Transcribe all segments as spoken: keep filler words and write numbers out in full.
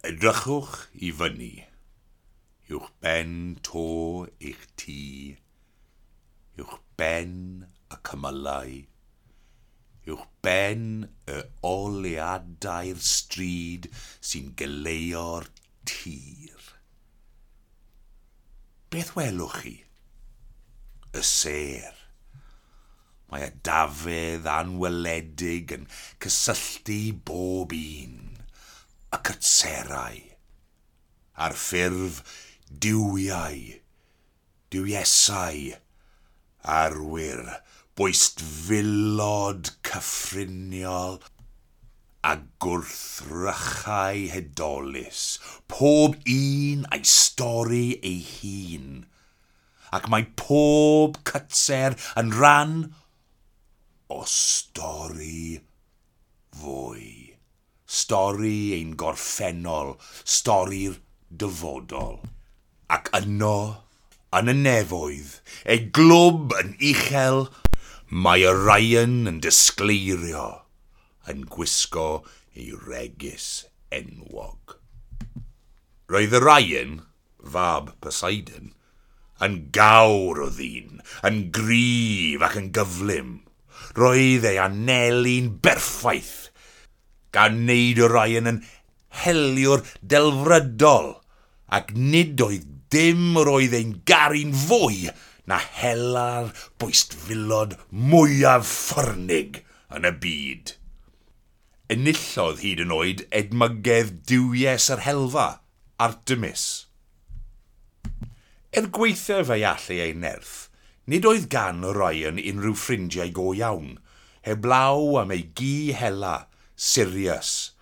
Edrychwch i fyny, uwch ben to eich tŷ, uwch ben y cymylau, uwch ben y oleuadau'r stryd sy'n goleuo'r tir. Beth welwch chi? Y sêr. Mae edafedd anweledig yn cysylltu bob un, y cytserau, ar ffurf duwiau, duwiesau, arwyr, bwystfilod cyffriniol a gwrthrychau hudolus, pob un a'i stori ei hun, ac mae pob cytser yn rhan o stori fwy. Stori ein gorffennol, stori'r dyfodol. Ac yno, yn y nefoedd, ei glwb yn uchel, mae Orion yn disgleirio, yn gwisgo ei wregys enwog. Roedd Orion, fab Poseidon, yn gawr o ddyn, yn gryf ac yn gyflym. Roedd ei anelu'n berffaith, gan wneud Orion yn heliwr delfrydol, ac nid oedd dim yr oedd e'n garu'n fwy na hela'r bwystfilod mwyaf ffyrnig yn y byd. Enillodd hyd yn oed edmygedd duwies yr helfa, Artemis. Er gwaethaf ei allu ei nerth, nid oedd gan Orion unrhyw ffrindiau go iawn, heblaw am ei gi hela, Sirius,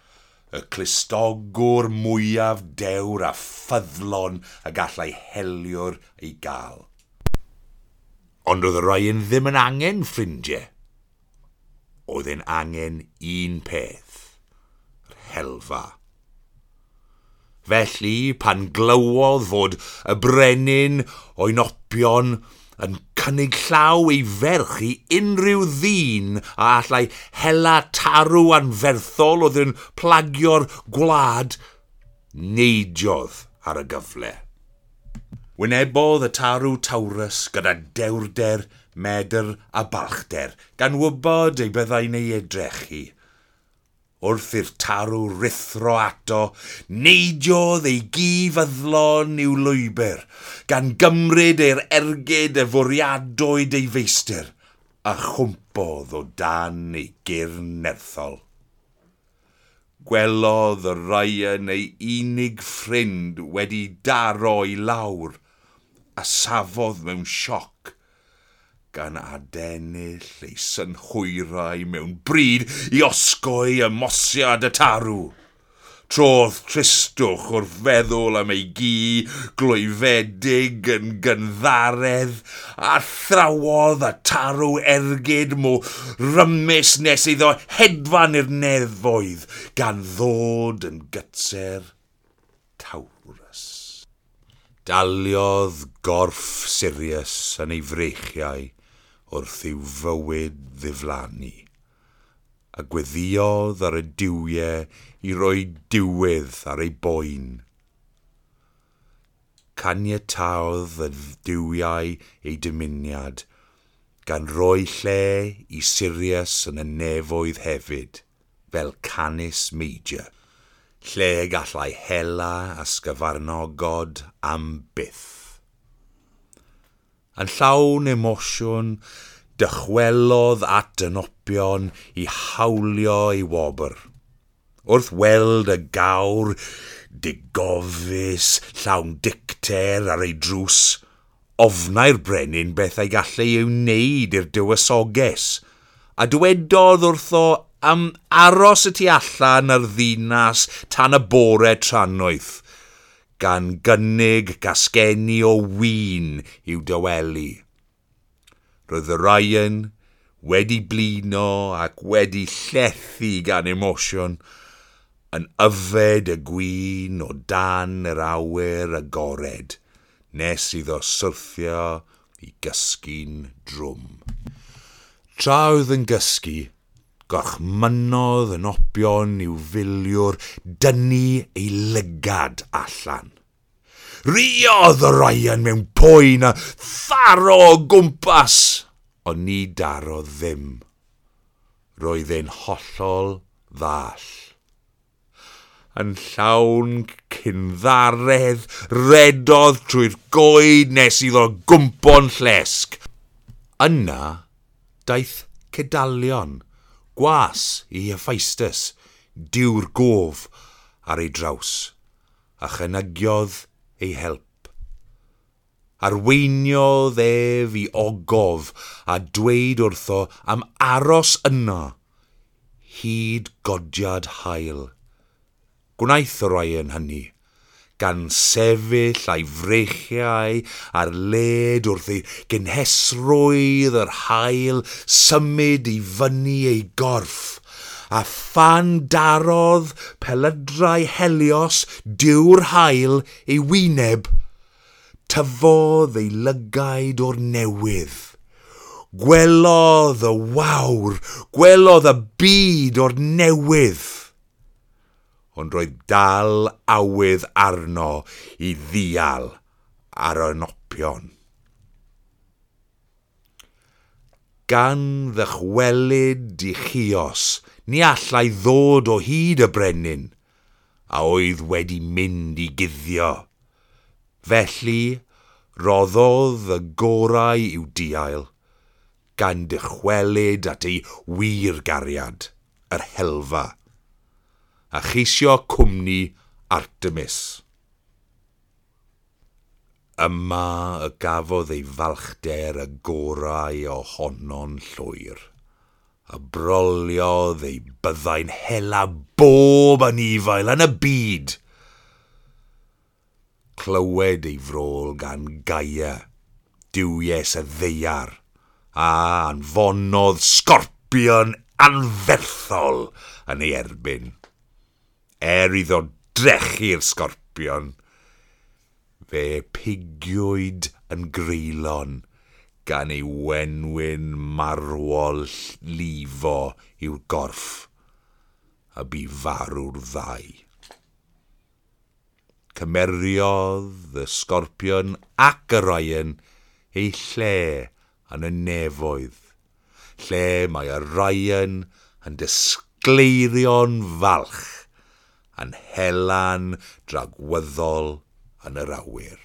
y clustogwr mwyaf dewr a ffyddlon y gallai heliwr ei gael. Ond oedd Orion ddim yn angen ffrindiau. Oedd e'n angen un peth, yr helfa. Felly, pan glywodd fod y brenin Oenopion yn cynnig llaw ei ferch i unrhyw ddyn a allai hela tarw anferthol oedd yn plagio'r gwlad, neidiodd ar y gyfle. Wynebodd y tarw Taurus gyda dewrder, medr a balchder, gan wybod ei byddai'n ei edrechu. Wrth i'r tarw ruthro ato, neidiodd ei gi fyddlon i'w lwybr, gan gymryd ei'r ergyd y fwriadwyd ei feistr, a chwmpodd o dan ei gyrn nerthol. Gwelodd Orion ei unig ffrind wedi daro i lawr, a safodd mewn sioc, gan adennill ei synhwyrau mewn bryd i osgoi ymosiad y tarw. Trodd tristwch wrth feddwl am ei gi glwyfedig yn gynddaredd, a thrawodd y tarw ergyd mor rymus nes iddo hedfan i'r nefoedd, gan ddod yn gytser Taurus. Daliodd gorff Sirius yn ei freichiau wrth i'w fywyd ddiflannu, a gweddïodd ar y duwiau i roi diwedd ar ei boen. Caniataodd y duwiau ei dymuniad, gan roi lle i Sirius yn y nefoedd hefyd, fel Canis Major, lle gallai hela ysgyfarnogod am byth. Yn llawn emosiwn, dychwelodd at Oenopion i hawlio ei wobr. Wrth weld y gawr digofus llawn dicter ar ei drws, ofnai'r brenin beth ei gallai ei wneud i'r dywysoges, a dywedodd wrtho am aros y tu allan ar ddinas tan y bore trannoeth, gan gynnig gasgenni o win i'w dawelu. Roedd Orion wedi blino ac wedi llethu gan emosiwn, yn yfed y gwin o dan yr awyr agored, nes iddo syrthio i gysgu'n drwm. Tra oedd yn gysgu, Gorchmynnodd Enopion i'w filiwr dynnu ei lygad allan. Riodd Orion mewn poen a tharo o gwmpas, ond ni darodd ddim. Roedd e'n hollol ddall. Yn llawn cynddaredd, redodd trwy'r goed nes iddo gwympo'n llesg. Yna daeth Cedalion, gwas i Hephaestus, duw'r gof, ar ei draws, a chynigiodd ei help. Arweiniodd ef i ogof a dweud wrtho am aros yno hyd godiad haul. Gwnaeth Orion hynny, gan sefyll a'i freichiau ar led wrth ei gynhesrwydd yr haul symud i fyny ei gorff, a phan darodd pelydrau Helios duw'r haul ei wyneb, tyfodd ei lygaid o'r newydd. Gwelodd y wawr, gwelodd y byd o'r newydd. Ond roedd dal awydd arno i ddial ar Enopion. Gan ddychwelyd i Chios, ni allai ddod o hyd y brenin, a oedd wedi mynd i guddio. Felly, roddodd y gorau i'w diail, gan dychwelyd at ei wir gariad, yr helfa, a cheisio cwmni Artemis. Yma y gafodd ei falchder y gorau ohono'n llwyr, a broliodd ei byddai'n hela bob anifail yn y byd. Clywed ei frol gan Gaia, duwies y ddaear, a anfonodd sgorpion anferthol yn ei erbyn. Er iddo drechu'r sgorpion, fe pigiwyd yn greulon gan ei wenwyn marwol lifo i'w gorff, a bu farw'r ddau. Cymeriodd y sgorpion ac Orion ei lle yn y nefoedd, lle mae Orion yn disgleirio'n falch, yn helan dragwyddol yn yr awyr.